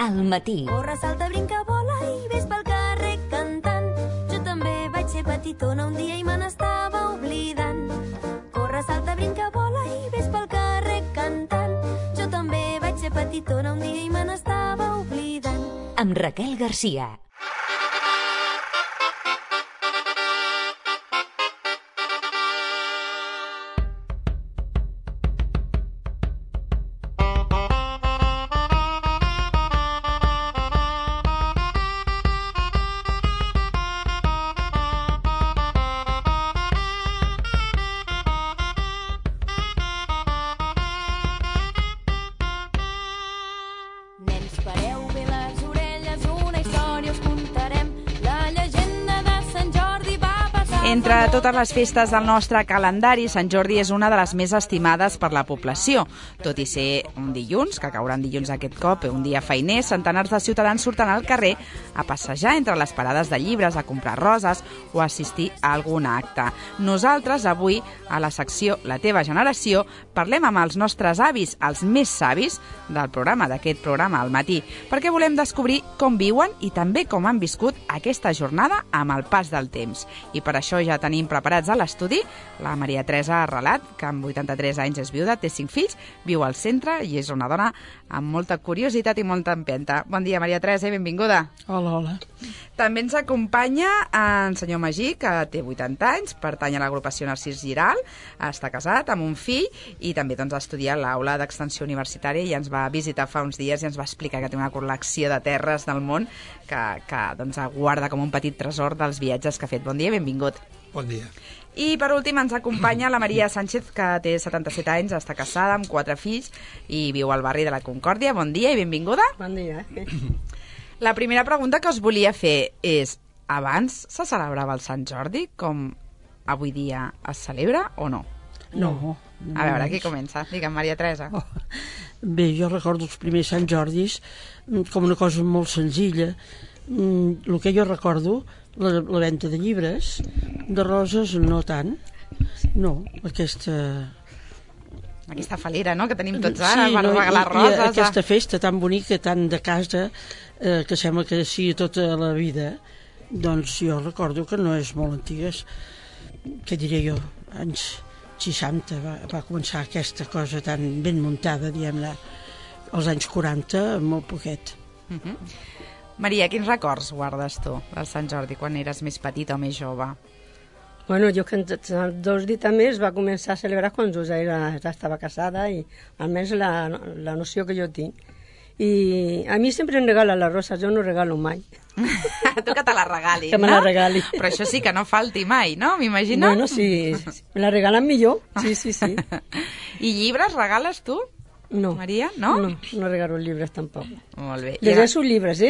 al matí. Corre, salta, brinca, vola i ves pel carrer cantant. Jo també vaig ser petitona un dia i me n'estava oblidant. Corre, salta, brinca, vola i ves pel carrer cantant. Jo també vaig ser petitona un dia i me n'estava oblidant. Amb Raquel Garcia. Entre totes les festes del nostre calendari, Sant Jordi és una de les més estimades per la població. Tot i ser un dilluns, que caurà en dilluns aquest cop, un dia feiner, centenars de ciutadans surten al carrer a passejar entre les parades de llibres, a comprar roses o a assistir a algun acte. Nosaltres, avui, a la secció La teva generació, parlem amb els nostres avis, els més savis del programa, d'aquest programa al matí, perquè volem descobrir com viuen i també com han viscut aquesta jornada amb el pas del temps. I per això ja tenim preparats a l'estudi la Maria Teresa Arrelat, que amb 83 anys és viuda, té 5 fills, viu al centre i és una dona amb molta curiositat i molta empenta. Bon dia, Maria Teresa, i benvinguda. Hola, hola. També ens acompanya en senyor Magí, que té 80 anys, pertany a l'agrupació Narcís Giral, està casat amb un fill i també estudia a l'aula d'extensió universitària i ens va visitar fa uns dies i ens va explicar que té una col·lecció de terres del món que guarda com un petit tresor dels viatges que ha fet. Bon dia i benvingut. Bon dia. I per últim ens acompanya la Maria Sánchez, que té 77 anys, està casada amb 4 fills i viu al barri de la Concòrdia. Bon dia i benvinguda. Bon dia. La primera pregunta que us volia fer és: abans se celebrava el Sant Jordi com avui dia es celebra o no? No. A veure, qui comença? Digue'm, Maria Teresa. Bé, jo recordo els primers Sant Jordis com una cosa molt senzilla. El que jo recordo, la venda de llibres, de roses no tant. No, aquesta falera, no?, que tenim tots ara, per regalar roses. I aquesta festa tan bonica, tan de casa, que sembla que sigui tota la vida, doncs jo recordo que no és molt antiga. Què diré jo? Anys 60 va començar aquesta cosa tan ben muntada, diguem-ne. Als anys 40, molt poquet. Maria, quins records guardes tu del Sant Jordi quan eres més petita o més jove? Bueno, jo que els 2 dies també es va començar a celebrar quan jo ja estava casada i almenys la noció que jo tinc. I a mi sempre em regalen les roses, jo no regalo mai. Tu que te la regalin, que me la regali. Però això sí que no falti mai, no? M'imagino? Bueno, sí, me la regalen millor, sí. I llibres regales tu? No. Maria, no? No regalo llibres tampoc. Molt bé. Llegeixo llibres,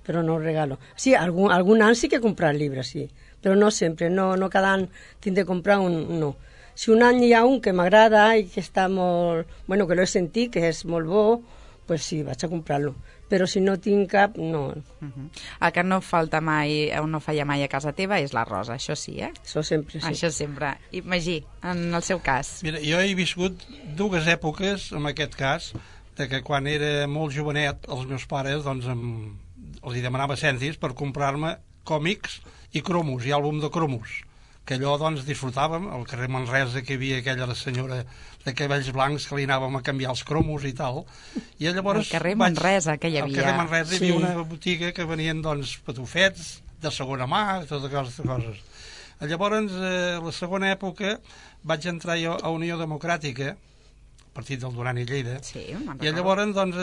però no regalo. Sí, algun any sí que he comprat llibres, sí, però no sempre, no cada any tinc de comprar un, no. Si un any hi ha un que m'agrada i que està molt... Bueno, que l'he sentit, que és molt bo, pues sí, vaig a comprar-lo. Però si no tinc cap, no. El que no falta mai, o no falla mai a casa teva, és la rosa, això sí, Això sempre, sí. Això sempre. I Magí, en el seu cas? Mira, jo he viscut 2 èpoques, en aquest cas, de que quan era molt jovenet, els meus pares, doncs, els demanava cèntims per comprar-me còmics i cromos, i àlbum de cromos, que allò, doncs, disfrutàvem. Al carrer Manresa, que hi havia aquella senyora de cabells blancs que li anàvem a canviar els cromos i tal. I llavors... Al carrer Manresa, que hi havia. Al carrer Manresa hi havia una botiga que venien, doncs, patufets de segona mà, totes aquestes coses. Llavors, la segona època, vaig entrar jo a Unió Democràtica, partit del Duran i Lleida, i llavors, doncs,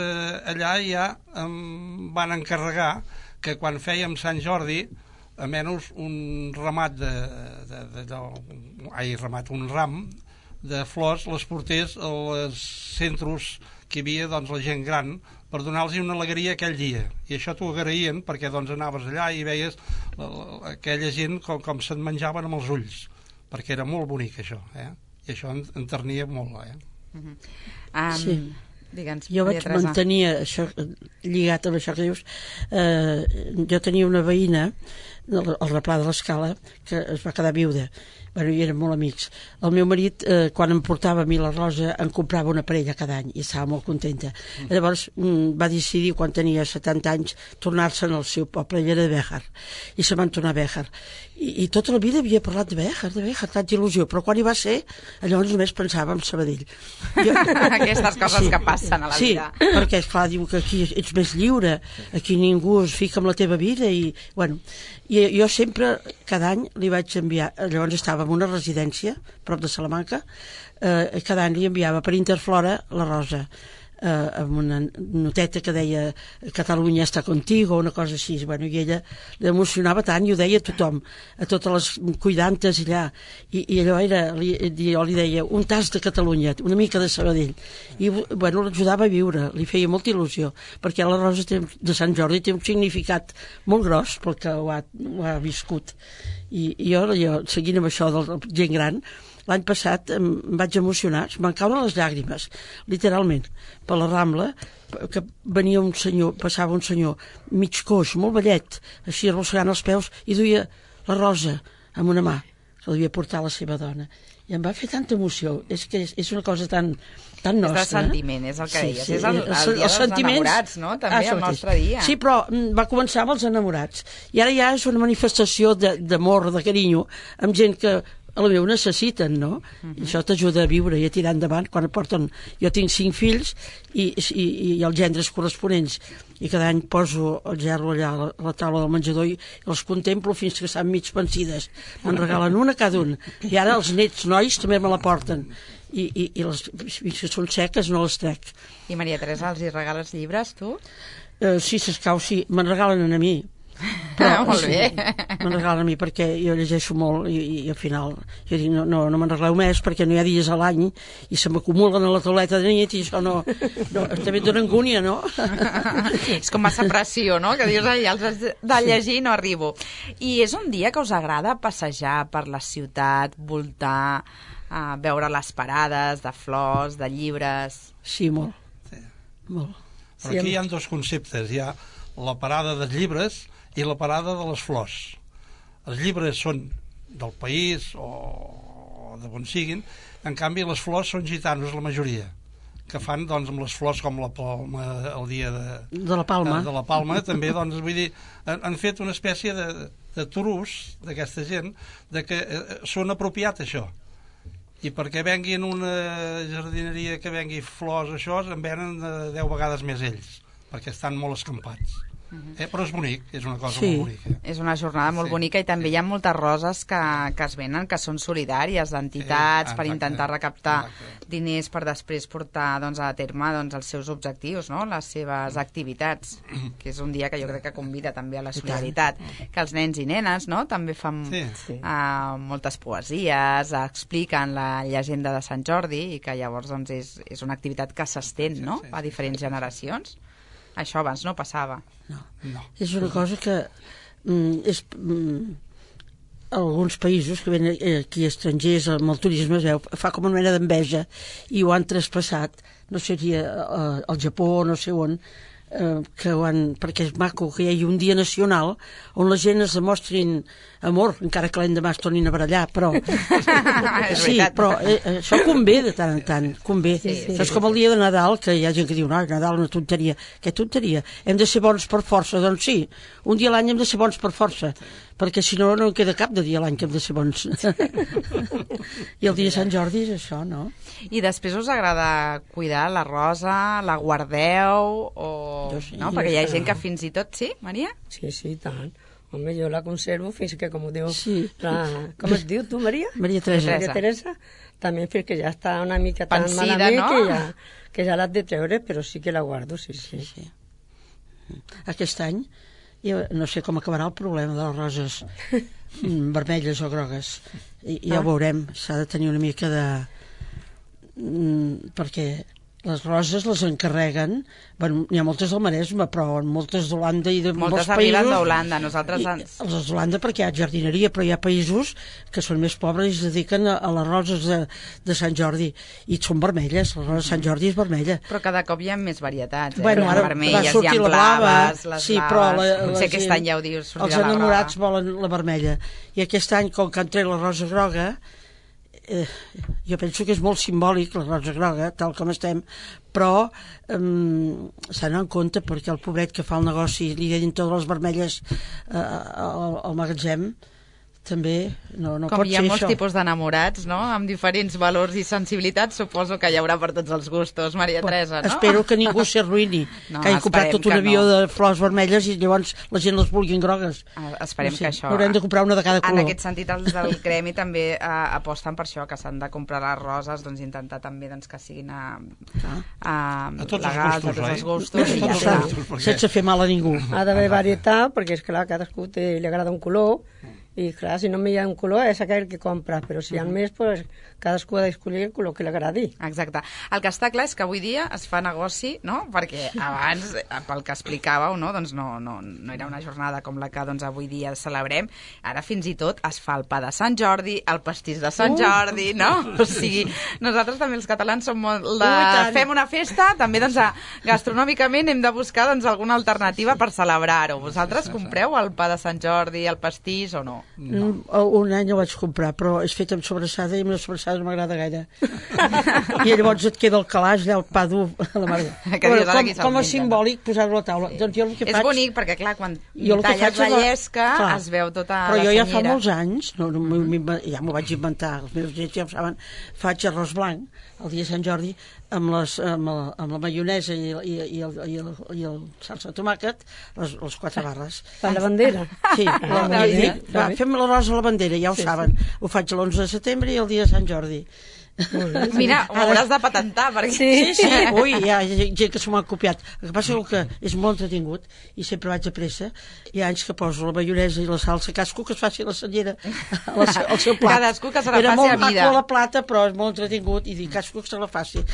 allà ja em van encarregar que quan fèiem Sant Jordi, almenys un ramat un ram de flors les portés als centres que hi havia, doncs, la gent gran, per donar-los una alegria aquell dia. I això t'ho agraïen, perquè doncs anaves allà i veies aquella gent com se'n menjaven amb els ulls, perquè era molt bonic això, i això enternia molt, Sí. Digue'ns, jo vaig mantenir això, lligat amb això que dius. Jo tenia una veïna el replà de l'Escala, que es va quedar viuda. Bueno, i eren molt amics. El meu marit, quan em portava a mi la Rosa, em comprava una parella cada any i estava molt contenta. Llavors va decidir, quan tenia 70 anys, tornar-se'n al seu poble, ell era de Béjar, i se van tornar a Béjar. I tota la vida havia parlat de Béjar, tanta il·lusió, però quan hi va ser, llavors només pensava en Sabadell. Aquestes coses que passen a la vida. Sí, perquè, esclar, diu que aquí ets més lliure, aquí ningú es fica amb la teva vida, i, bueno, i jo sempre, cada any, li vaig enviar, llavors estava en una residència, prop de Salamanca, cada any li enviava per Interflora la Rosa, amb una noteta que deia Catalunya està contigo, una cosa així. Bueno, i ella l'emocionava tant i ho deia a tothom, a totes les cuidantes allà, i allò era, jo li deia un tas de Catalunya, una mica de Sabadell, i bueno, l'ajudava a viure, li feia molta il·lusió, perquè la Rosa de Sant Jordi té un significat molt gros pel que ho ha viscut, i jo seguint amb això de la gent gran, l'any passat em vaig emocionar, em van caure les llàgrimes, literalment, per la Rambla, que venia un senyor, passava un senyor mig coix, molt vellet, així arrossegant els peus, i duia la Rosa amb una mà, que l'havia portat la seva dona. I em va fer tanta emoció, és que és una cosa tan nostra. És de sentiment, és el que deies. És el dia dels enamorats, no? També el nostre dia. Sí, però va començar amb els enamorats. I ara ja és una manifestació d'amor, de carinyo, amb gent que a la meva necessiten, no? I això t'ajuda a viure i a tirar endavant quan porten... Jo tinc 5 fills i els gendres corresponents, i cada any poso el gerro allà a la taula del menjador i els contemplo fins que estan mig pensides. Me'n regalen una cada un. I ara els nets nois també me la porten. I les fins que són seques no les trec. I Maria Teresa, els hi regales llibres, tu? Sí, s'escau, sí. Me'n regalen a mi. Però, molt bé. Me'n regalen a mi perquè jo llegeixo molt i al final jo dic no me'n regaleu més perquè no hi ha dies a l'any i se m'acumulen a la tauleta de nit i això no també et dona angúnia, no? És com massa pressió, no? Que dius, ai, els has de llegir i no arribo. I és un dia que us agrada passejar per la ciutat, voltar, veure les parades de flors, de llibres? Sí, molt. Sí. Molt. Però aquí hi ha 2 conceptes. Hi ha la parada dels llibres i la parada de les flors. Els llibres són del país o de on siguin, en canvi les flors són gitanos la majoria, que fan doncs amb les flors com la palma el dia de la Palma. De la Palma també, doncs vull dir, han fet una espècie de trus d'aquesta gent de que són apropiat això. I perquè venguin una jardineria que vengui flors, això, en venen 10 vegades més ells, perquè estan molt escampats. Però és bonic, és una cosa molt bonica. És una jornada molt bonica i també hi ha moltes roses que es venen, que són solidàries, d'entitats, per intentar recaptar diners per després portar a terme els seus objectius, no? Les seves activitats, que és un dia que jo crec que convida també a la solidaritat, que els nens i nenes també fan moltes poesies, expliquen la llegenda de Sant Jordi i que llavors és una activitat que s'estén a diferents generacions. Això abans no passava. No. És una cosa que alguns països que venen aquí estrangers amb el turisme es veu, fa com una mena d'enveja i ho han traspassat, no seria al Japó o no sé on, perquè és maco que hi hagi un dia nacional on la gent es demostrin amor, encara que l'endemà es tornin a barallar, però sí, però això convé de tant en tant, convé. Això és com el dia de Nadal, que hi ha gent que diu Nadal una tonteria. Què tonteria? Hem de ser bons per força? Doncs sí, un dia a l'any hem de ser bons per força, perquè si no, no en queda cap de dia a l'any que hem de ser bons. I el dia de Sant Jordi és això, no? I després us agrada cuidar la rosa, la guardeu, no? Perquè hi ha gent que fins i tot... Sí, Maria? Sí, tant. Home, jo la conservo fins que, com diu... Com es diu tu, Maria? Maria Teresa. Maria Teresa. També perquè ja està una mica tan malament que ja l'has de treure, però sí que la guardo, sí. Aquest any, jo no sé com acabarà el problema de les roses vermelles o grogues. Ja ho veurem, s'ha de tenir una mica de... perquè Les roses les encarreguen, bueno, n'hi ha moltes del Maresme, però moltes d'Holanda i de molts Moltes països... arriben d'Holanda, nosaltres... Les d'Holanda perquè hi ha jardineria, però hi ha països que són més pobres i es dediquen a les roses de Sant Jordi, i són vermelles, la rosa de Sant Jordi és vermella. Però cada cop hi ha més varietats, Bueno, hi ha ara vermelles, va sortir hi ha la blava, blaves, les sí, blaves... però Potser aquest any ja ho dius, els enamorats volen la vermella, i aquest any, com que han tret la rosa groga, jo penso que és molt simbòlic la rosa groga, tal com estem, però s'ha d'anar en compte perquè el pobret que fa el negoci li deien totes les vermelles al magatzem també no pot ser això. Com hi ha molts tipus d'enamorats, no?, amb diferents valors i sensibilitats, suposo que hi haurà per tots els gustos, Maria Teresa, no? Espero que ningú s'arruïni, No, que hagi comprat tot un avió de flors vermelles i llavors la gent les vulguin grogues. Esperem que això... Haurem de comprar una de cada color. En aquest sentit, els del gremi també aposten per això, que s'han de comprar les roses, doncs intentar també que siguin legals, a tots els gustos, i ja està. Sense fer mal a ningú. Ha d'haver varietat, perquè és clar, cadascú li agrada un color, i clar, si només hi ha un color és aquell que compra, però si hi ha més, pues, cadascú ha d'escollir el color que li agradi. Exacte. El que està clar és que avui dia es fa negoci, no?, perquè abans, pel que explicàveu, no?, doncs no era una jornada com la que doncs, avui dia celebrem. Ara fins i tot es fa el pa de Sant Jordi, el pastís de Sant Jordi, no? O sigui, nosaltres també els catalans som molt de... Fem una festa, també doncs, gastronòmicament hem de buscar doncs, alguna alternativa per celebrar-ho. Vosaltres compreu el pa de Sant Jordi, el pastís o no? No. Un any el vaig comprar, però és fet amb sobrassada i amb la sobrassada no m'agrada gaire. I llavors et queda el calaix allà, el pa dur a la mare. Com a simbòlic posar-ho a la taula. Doncs jo el que faig... És bonic perquè, clar, quan talles la llesca es veu tota la senyera. Però jo ja fa molts anys, ja m'ho vaig inventar, els meus nets ja ho saben, faig arròs blanc el dia de Sant Jordi amb la maionesa i el salsa de tomàquet, les 4 barres. Per la bandera. Sí, fem l'arròs a la bandera, ja ho saben. Ho faig l'11 de setembre i el dia de Sant Jordi. Mira, ho hauràs de patentar perquè... Sí, ui, hi ha gent que s'ho m'ha copiat. El que passa és que és molt entretingut i sempre vaig a pressa. Hi ha anys que poso la maionesa i la salsa, cadascú que es faci la senyera al seu plat. Cadascú que se la faci a mida. Era molt maco a la plata, però és molt entretingut i dic, cadascú que se la faci.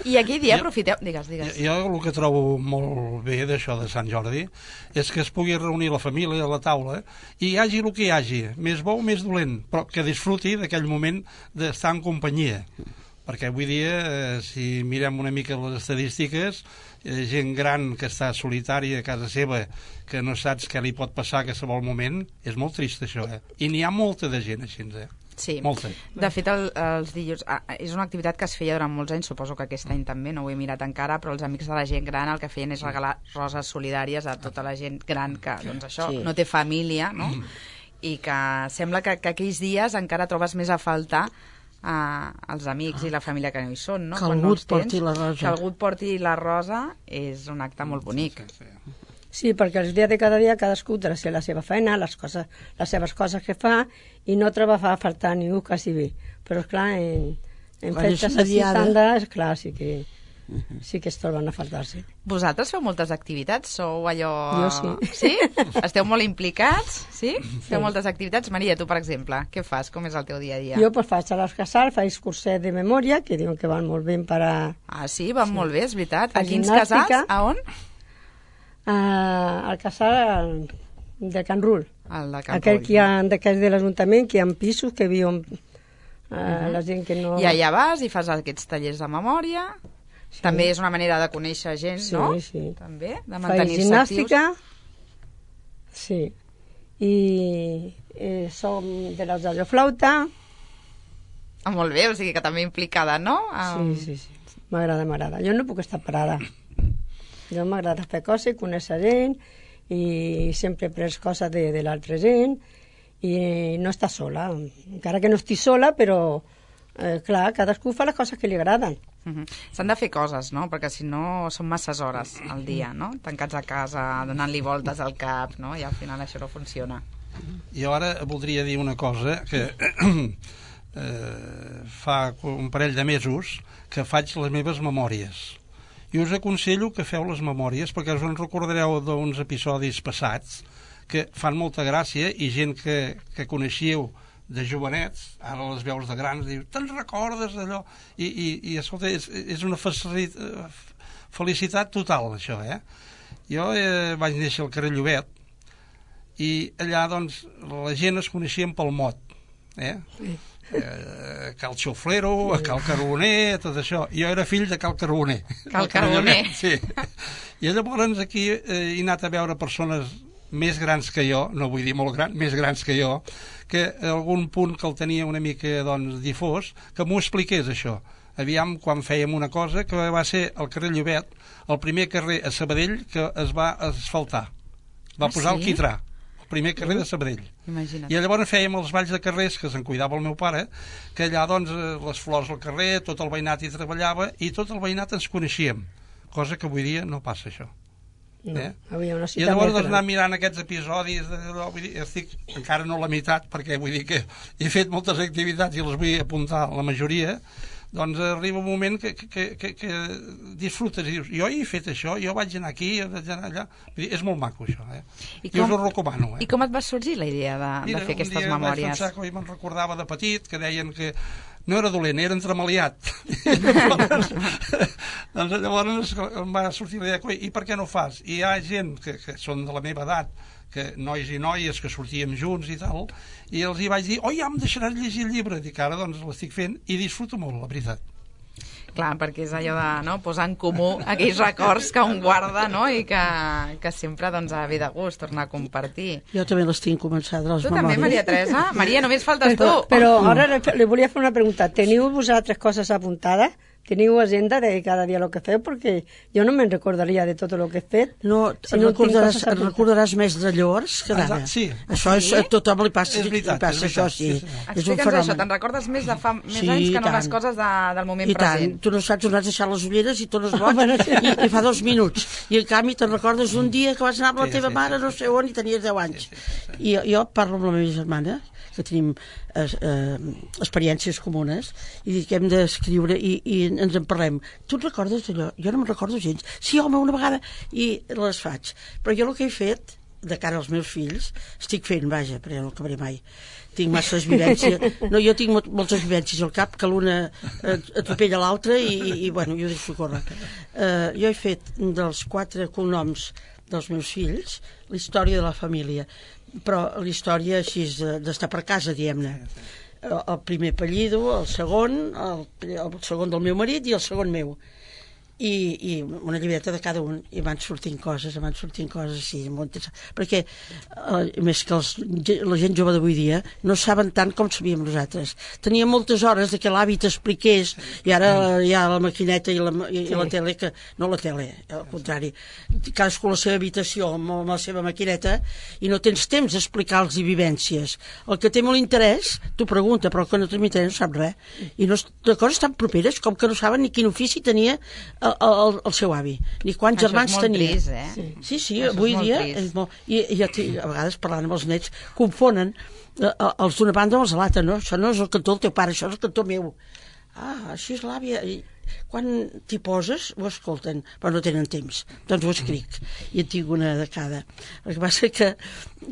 I aquell dia aprofiteu... Digues. Jo el que trobo molt bé d'això de Sant Jordi és que es pugui reunir la família a la taula i hi hagi el que hi hagi, més bo o més dolent, però que disfruti d'aquell moment d'estar en companyia. Perquè avui dia, si mirem una mica les estadístiques, gent gran que està solitària a casa seva, que no saps què li pot passar a qualsevol moment, és molt trist això, I n'hi ha molta de gent així, Sí, molta. De fet els dilluns és una activitat que es feia durant molts anys, suposo que aquest any també, no ho he mirat encara, però els amics de la gent gran el que feien és regalar roses solidàries a tota la gent gran que doncs això no té família, no? I que sembla que aquells dies encara trobes més a faltar els amics i la família que no hi són, no? Que algú et porti la rosa. Que algú et porti la rosa és un acte molt bonic. Sí, perquè els dies de cada dia cadascú té la seva feina, les seves coses que fa, i no troba a faltar ningú quasi bé. Però, esclar, en festes així tantes, clar, sí que es troben a faltar-se. Vosaltres feu moltes activitats? Sou allò... Jo sí. Sí? Esteu molt implicats? Sí? Feu moltes activitats? Maria, tu, per exemple, què fas? Com és el teu dia a dia? Jo pues, faig a les casals, faig curset de memòria, que diuen que van molt bé per a... Ah, sí? Van molt bé, és veritat. A quins casals? A on? Al casal de Can Rull. El de Can Rull. Aquell que hi ha d'aquells de l'Ajuntament, que hi ha pisos que viuen la gent que no... I allà vas i fas aquests tallers de memòria. Sí. També és una manera de conèixer gent, no? Sí. També, de mantenir-se gimnàstica, sí. I som de les de flauta. Molt bé, o sigui que també implicada, no? Sí. M'agrada. Jo no puc estar parada. Jo m'agrada fer coses, conèixer gent, i sempre he pres coses de l'altra gent, i no estar sola. Encara que no estic sola, però, clar, cadascú fa les coses que li agraden. S'han de fer coses, no? Perquè si no són masses hores al dia, no? Tancats a casa, donant-li voltes al cap, no? I al final això no funciona. Jo ara voldria dir una cosa que fa un parell de mesos que faig les meves memòries. I us aconsello que feu les memòries perquè us en recordareu d'uns episodis passats que fan molta gràcia i gent que coneixíeu de jovenets, ara les veus de grans, diu, te'n recordes d'allò? I escolta, és una felicitat total, això, Jo vaig néixer al carrer Llobet, i allà, doncs, la gent es coneixien pel mot, Cal Xoflero, Cal Carboner, tot això. Jo era fill de Cal Carboner. Cal Carboner. Sí. I llavors aquí he anat a veure persones més grans que jo, no vull dir molt grans, més grans que jo, que algun punt que el tenia una mica, doncs, difós, que m'ho expliqués, això. Aviam, quan fèiem una cosa, que va ser el carrer Llobet, el primer carrer a Sabadell que es va asfaltar. Va posar el quitrà, el primer carrer de Sabadell. Imagina't. I llavors fèiem els balls de carrers, que se'n cuidava el meu pare, que allà, doncs, les flors al carrer, tot el veïnat hi treballava, i tot el veïnat ens coneixíem, cosa que avui dia no passa, això. No, havia una I ciutat llavors més gran. anar mirant aquests episodis vull dir, estic encara no a la meitat, perquè vull dir que he fet moltes activitats i les vull apuntar la majoria, doncs arriba un moment que disfrutes i dius, jo he fet això, jo vaig anar aquí, vaig anar allà. Vull dir, és molt maco, això, I us ho recomano, I com et va sorgir la idea de fer aquestes memòries? Un dia vaig pensar que me'n recordava de petit, que deien que no era dolent, era entremaliat. Doncs llavors em va sortir la idea, i per què no ho fas? I hi ha gent que són de la meva edat, que nois i noies que sortíem junts i tal, i els hi vaig dir, ja em deixaràs llegir el llibre. Dic, ara doncs l'estic fent i disfruto molt, la veritat. Clar, perquè és allò de posar en comú aquells records que un guarda, i que sempre ha de de gust tornar a compartir. Jo també les tinc començades, les memòries. Tu també, Maria Teresa? Maria, només faltes tu. Però ara li volia fer una pregunta. Teniu vosaltres coses apuntades? Teniu agenda de cada dia el que feu? Perquè jo no me'n recordaria de tot el que he fet. No, si no recordaràs més de llavors que d'ara. Sí. Això a tothom li passa, és veritat, això, sí. Explica'ns això, te'n recordes més de fa més anys que no les coses del moment present. I tant, tu no saps on has deixat les ulleres i tu no es boig, i fa 2 minuts. I en canvi te'n recordes un dia que vas anar amb la teva mare no sé on i tenies 10 anys. I jo parlo amb la meva germana, que tenim experiències comunes, i dic que hem d'escriure i ens en parlem. Tu et recordes d'allò? Jo no me'n recordo gens. Sí, home, una vegada, i les faig. Però jo el que he fet, de cara als meus fills, estic fent, vaja, però no acabaré mai. Tinc masses vivències. No, jo tinc moltes vivències al cap, que l'una atropella l'altra i bueno, jo deixo córrer. Jo he fet dels 4 cognoms dels meus fills la història de la família, però la història així d'estar per casa, diguem-ne. El primer apellido, el segon del meu marit i el segon meu. I una llibreta de cada un, i van sortint coses sí, molt interessant, perquè més que la gent jove d'avui dia no saben tant com sabíem nosaltres. Teníem moltes hores de que l'avi t'expliqués, i ara hi ha la maquineta i la tele, que no la tele, al contrari, cadascú a la seva habitació amb la seva maquineta, i no tens temps d'explicar-los vivències. El que té molt interès t'ho pregunta, però el que no té interès no sap res, i no, de coses tan properes com que no saben ni quin ofici tenia el seu avi, ni quants germans tenia. Això és molt trist, Sí, avui dia és molt... I a vegades parlant amb els nets confonen els d'una banda amb els de l'altra, no? Això no és el cantó del teu pare, això és el cantó meu. Això és l'àvia. Quan t'hi poses ho escolten, però no tenen temps, doncs ho escric, i en tinc una de cada. El que passa que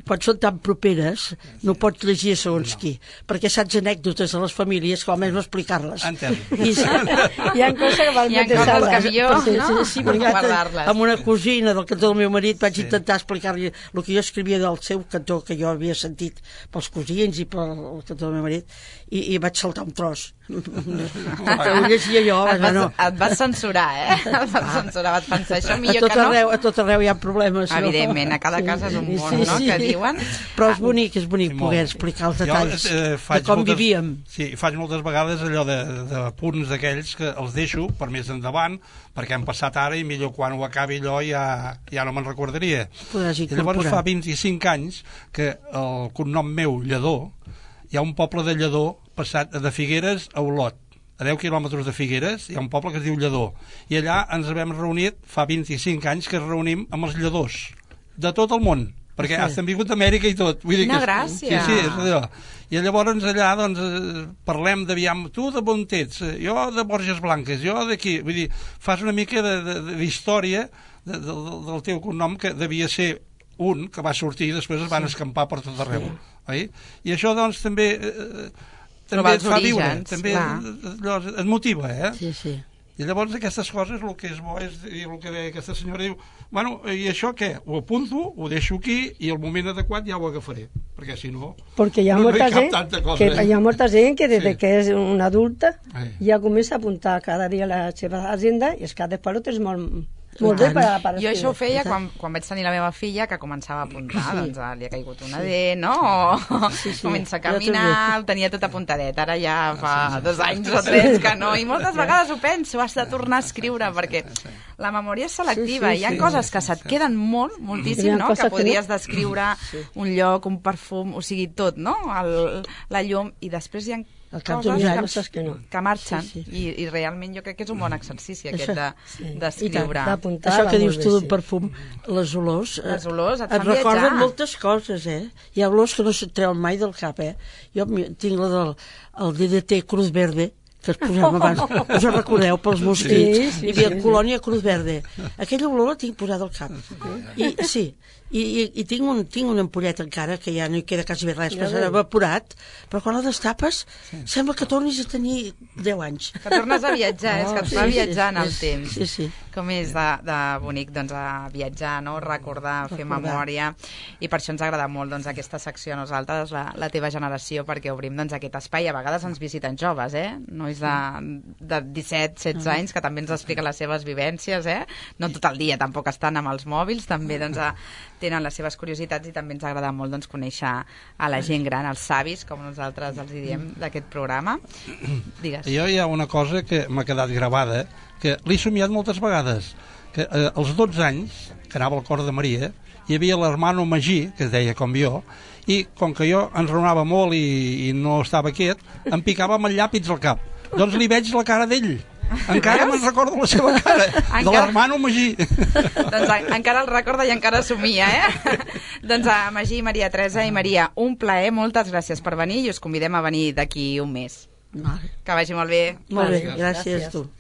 quan són tan properes no pots llegir segons qui, perquè saps anècdotes de les famílies que almenys no explicar-les. Hi ha coses que val molt de coses que millor sí, guardar-les. Amb una cosina del cantó del meu marit vaig intentar explicar-li el que jo escrivia del seu cantó, que jo havia sentit pels cosins i pel cantó del meu marit, i vaig saltar un tros. Ho llegia jo. Et vas censurar, et vas censurar, vas pensar això millor que no. A tot arreu hi ha problemes. Evidentment, a cada casa és un món, no?, que diuen. Però és bonic poder explicar els detalls de com vivíem. Sí, faig moltes vegades allò de punts d'aquells que els deixo per més endavant, perquè han passat ara i millor quan ho acabi allò ja no me'n recordaria. I llavors fa 25 anys que el cognom meu, Lledó, hi ha un poble de Lledó passat de Figueres a Olot, a 10 quilòmetres de Figueres hi ha un poble que es diu Lledó, i allà ens vam reunit fa 25 anys que es reunim amb els lledós de tot el món, perquè has vingut d'Amèrica i tot. Quina gràcia! Sí, és allò. I llavors allà doncs, parlem d'aviam, tu de on ets? Jo de Borges Blanques, jo d'aquí. Vull dir, fas una mica d'història del teu cognom, que devia ser un que va sortir i després es van escampar per tot arreu. Oi? I això, doncs, també et fa viure, també et motiva, Sí, sí. I llavors aquestes coses, el que és bo és el que deia aquesta senyora, diu, bueno, i això què? Ho apunto, ho deixo aquí i el moment adequat ja ho agafaré, perquè si no... Perquè hi ha molta gent que des que és una adulta ja comença a apuntar cada dia la seva agenda i és que després ho tens molt bé per escriure. Jo això ho feia quan vaig tenir la meva filla, que començava a apuntar, doncs li ha caigut una D, no? Comença a caminar, ho tenia tot apuntadet. Ara ja fa 2 anys o 3 que no, i moltes vegades ho penso, has de tornar a escriure, perquè la memòria és selectiva, hi ha coses que se't queden moltíssim, no? Que podries descriure un lloc, un perfum, o sigui, tot, no? La llum, i després hi ha coses que marxen, i realment jo crec que és un bon exercici aquest d'escriure. Això que dius tu d'un perfum, les olors et recorden moltes coses, hi ha olors que no se't treuen mai del cap. Jo tinc la del DDT Cruz Verde, que es posava abans, us ho recordeu, pels mosquits, hi havia colònia Cruz Verde. Aquella olor la tinc posada al cap. I tinc una ampolleta encara, que ja no hi queda quasi res, que s'ha evaporat, però quan la destapes sembla que tornis a tenir 10 anys. Que tornes a viatjar, és que et fa viatjar en el temps. Com és de bonic, doncs, a viatjar, no? Recordar, fer memòria, i per això ens agrada molt, doncs, aquesta secció a nosaltres, la teva generació, perquè obrim, doncs, aquest espai. A vegades ens visiten joves, nois de 17-16 anys, que també ens expliquen les seves vivències, no tot el dia tampoc estan amb els mòbils, també, doncs, tenen les seves curiositats, i també ens agrada molt, doncs, conèixer a la gent gran, els savis, com nosaltres els diem, d'aquest programa. Digues. Jo hi ha una cosa que m'ha quedat gravada, que l'he somiat moltes vegades, que als 12 anys, que anava al cor de Maria, hi havia l'hermano Magí, que es deia com jo, i com que jo enraonava molt i no estava quiet, em picava amb el llàpid al cap. Doncs li veig la cara d'ell. Encara me'n recordo la seva cara, de l'hermano Magí. Doncs encara el recorda i encara somia, Doncs Magí, Maria Teresa i Maria, un plaer, moltes gràcies per venir, i us convidem a venir d'aquí un mes. Que vagi molt bé. Molt bé, gràcies a tu.